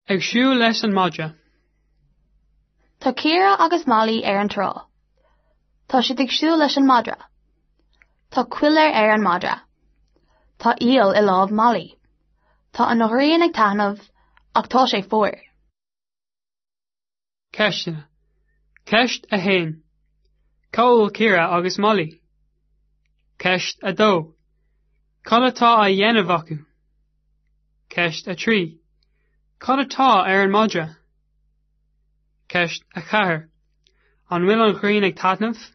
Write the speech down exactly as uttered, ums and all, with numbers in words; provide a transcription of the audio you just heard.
Ag siúl leis an madra. Tá Ciara agus Molly ar an trá. Tá siad ag siúl leis an madra. Tá cuilear ar an madra. Tá iall i lámh Molly. Tá an ghrian ag taitneamh ach tá sé fuar. Ceisteanna. Ceist a haon. Cá bhfuil Ciara agus Molly. Ceist a dó. Cad atá á dhéanamh acu? Ceist a trí. Cad atá ar an madra? Ceist a ceathair. An bhfuil an ghrian ag taitneamh?